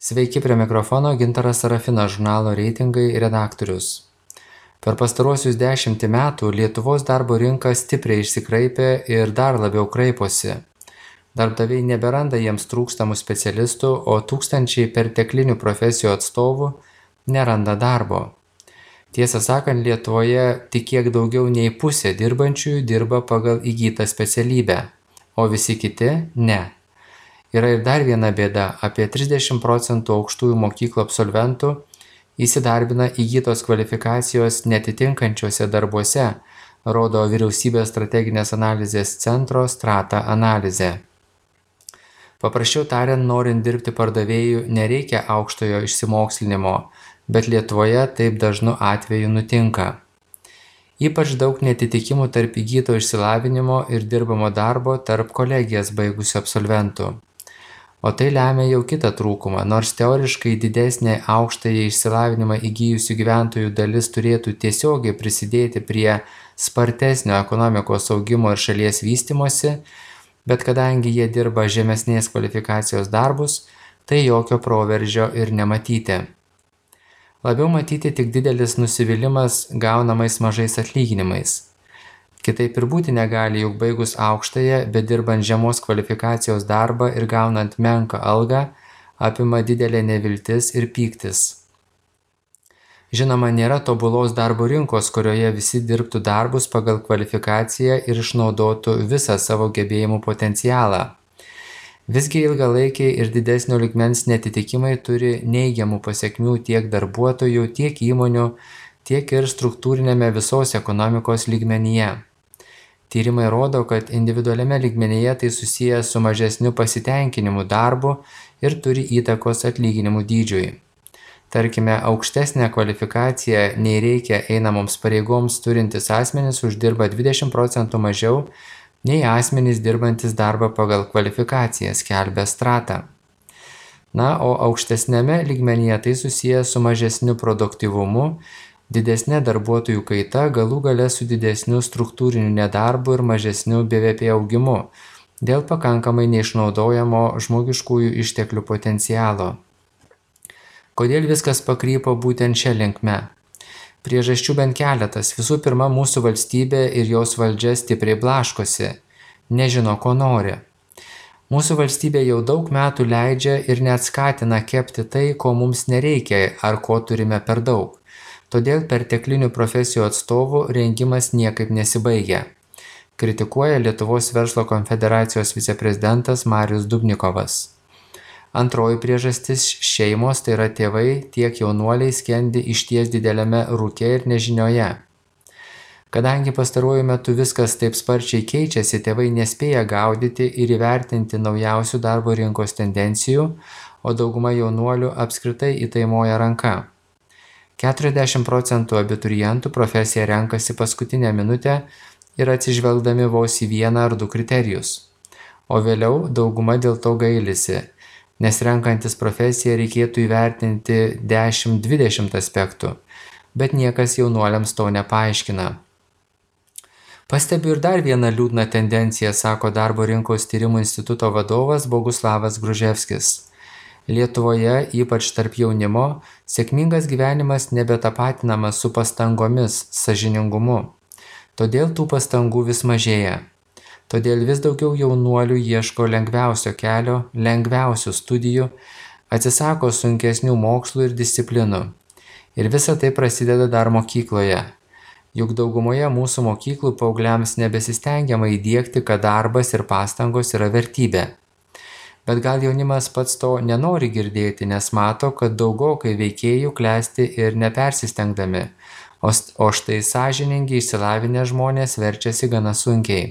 Sveiki, prie mikrofono Gintaras Sarafinas, žurnalo Reitingai redaktorius. Per pastaruosius 10 metų Lietuvos darbo rinka stipriai išsikraipė ir dar labiau kraiposi. Darbdaviai neberanda jiems trūkstamų specialistų, o tūkstančiai perteklinių profesijų atstovų neranda darbo. Tiesą sakant, Lietuvoje tik kiek daugiau nei pusė dirbančiųjų dirba pagal įgytą specialybę, o visi kiti ne. Yra ir dar viena bėda – apie 30% aukštųjų mokyklų absolventų įsidarbina įgytos kvalifikacijos netitinkančiuose darbuose, rodo Vyriausybės strateginės analizės centro Strata analizė. Paprasčiau tariant, norint dirbti pardavėjų nereikia aukštojo išsimokslinimo, bet Lietuvoje taip dažnu atveju nutinka. Ypač daug netitikimų tarp įgyto išsilavinimo ir dirbamo darbo tarp kolegijas baigusių absolventų. O tai lemia jau kitą trūkumą, nors teoriškai didesnė aukštąjį išsilavinimą įgijusių gyventojų dalis turėtų tiesiogiai prisidėti prie spartesnio ekonomikos augimo ir šalies vystymosi, bet kadangi jie dirba žemesnės kvalifikacijos darbus, tai jokio proveržio ir nematyti. Labiau matyti tik didelis nusivylimas gaunamais mažais atlyginimais. Kitaip ir būti negali, juk baigus aukštąją, bet dirbant žemos kvalifikacijos darbą ir gaunant menką algą, apima didelė neviltis ir pyktis. Žinoma, nėra tobulos darbo rinkos, kurioje visi dirbtų darbus pagal kvalifikaciją ir išnaudotų visą savo gebėjimų potencialą. Visgi ilgalaikiai ir didesnio lygmens netitikimai turi neigiamų pasekmių tiek darbuotojų, tiek įmonių, tiek ir struktūrinėme visos ekonomikos lygmenyje. Tyrimai rodo, kad individualiame lygmenyje tai susiję su mažesniu pasitenkinimu darbu ir turi įtakos atlyginimų dydžiui. Tarkime, aukštesnę kvalifikaciją nei reikia einamoms pareigoms turintis asmenys uždirba 20% mažiau nei asmenys dirbantis darbą pagal kvalifikaciją, skelbia Strata. Na, o aukštesnėme lygmenyje tai susiję su mažesniu produktyvumu, didesnė darbuotojų kaita, galų gale su didesniu struktūriniu nedarbu ir mažesniu BVP augimu dėl pakankamai neišnaudojamo žmogiškųjų išteklių potencialo. Kodėl viskas pakrypo būtent šia linkme? Priežasčių bent keletas. Visų pirma, mūsų valstybė ir jos valdžia stipriai blaškosi, nežino, ko nori. Mūsų valstybė jau daug metų leidžia ir net skatina kepti tai, ko mums nereikia ar ko turime per daug. Todėl perteklinių profesijų atstovų rengimas niekaip nesibaigia. Kritikuoja Lietuvos verslo konfederacijos viceprezidentas Marius Dubnikovas. Antroji priežastis – šeimos, tai yra tėvai, tiek jaunuoliai skendi išties dideliame rūke ir nežinioje. Kadangi pastaruoju metu viskas taip sparčiai keičiasi, tėvai nespėja gaudyti ir įvertinti naujausių darbo rinkos tendencijų, o dauguma jaunuolių apskritai įtaimoja ranka. 40% abiturientų profesiją renkasi paskutinę minutę ir atsižvelgdami vos į vieną ar du kriterijus. O vėliau dauguma dėl to gailisi, nes renkantis profesiją reikėtų įvertinti 10-20 aspektų, bet niekas jaunuoliams to nepaaiškina. Pastebiu ir dar vieną liūdną tendenciją, sako Darbo rinkos tyrimų instituto vadovas Boguslavas Gruževskis. Lietuvoje, ypač tarp jaunimo, sėkmingas gyvenimas nebetapatinamas su pastangomis, sąžiningumu. Todėl tų pastangų vis mažėja. Todėl vis daugiau jaunuolių ieško lengviausio kelio, lengviausių studijų, atsisako sunkesnių mokslų ir disciplinų. Ir visa tai prasideda dar mokykloje. Juk daugumoje mūsų mokyklų paaugliams nebesistengiama įdiegti, kad darbas ir pastangos yra vertybė. Bet gal jaunimas pats to nenori girdėti, nes mato, kad daugokai veikėjų klesti ir nepersistengdami, o štai sąžiningi išsilavinę žmonės verčiasi gana sunkiai.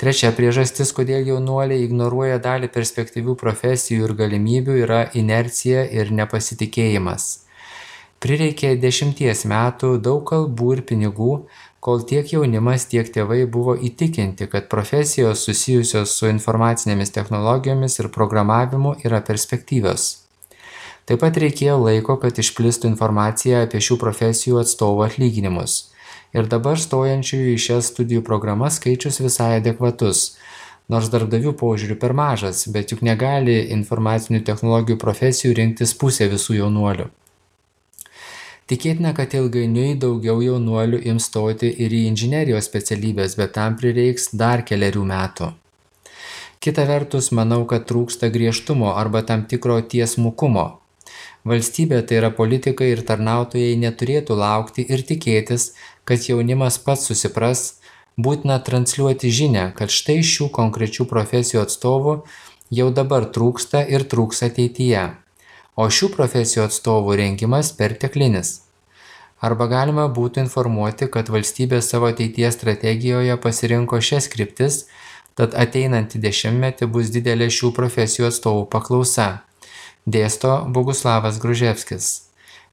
Trečia priežastis, kodėl jaunuoliai ignoruoja dalį perspektyvių profesijų ir galimybių, yra inercija ir nepasitikėjimas. Prireikė 10 metų, daug kalbų ir pinigų, kol tiek jaunimas, tiek tėvai buvo įtikinti, kad profesijos susijusios su informacinėmis technologijomis ir programavimu yra perspektyvios. Taip pat reikėjo laiko, kad išplistų informacija apie šių profesijų atstovų atlyginimus. Ir dabar stojančiųjų į šias studijų programas skaičius visai adekvatus nors darbdavių požiūriu per mažas, bet juk negali informacinių technologijų profesijų rinktis pusė visų jaunuolių. Tikėtina, kad ilgainiui daugiau jaunuolių ims stoti ir į inžinerijos specialybės, bet tam prireiks dar kelerių metų. Kita vertus, manau, kad trūksta griežtumo arba tam tikro tiesmukumo. Valstybė, tai yra politikai ir tarnautojai, neturėtų laukti ir tikėtis, kad jaunimas pats susipras, būtina transliuoti žinią, kad štai šių konkrečių profesijų atstovų jau dabar trūksta ir trūks ateityje, o šių profesijų atstovų rengimas perteklinis. Arba galima būtų informuoti, kad valstybė savo ateities strategijoje pasirinko šias kryptis, tad ateinantį dešimtmetį bus didelė šių profesijų atstovų paklausa, dėsto Boguslavas Gruževskis.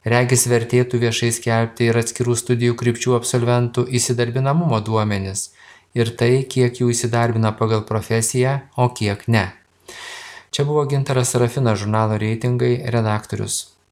Regis vertėtų viešai skelbti ir atskirų studijų krypčių absolventų įsidarbinamumo duomenis ir tai, kiek jų įsidarbina pagal profesiją, o kiek ne. Čia buvo Gintaras Sarafinas, žurnalo Reitingai redaktorius.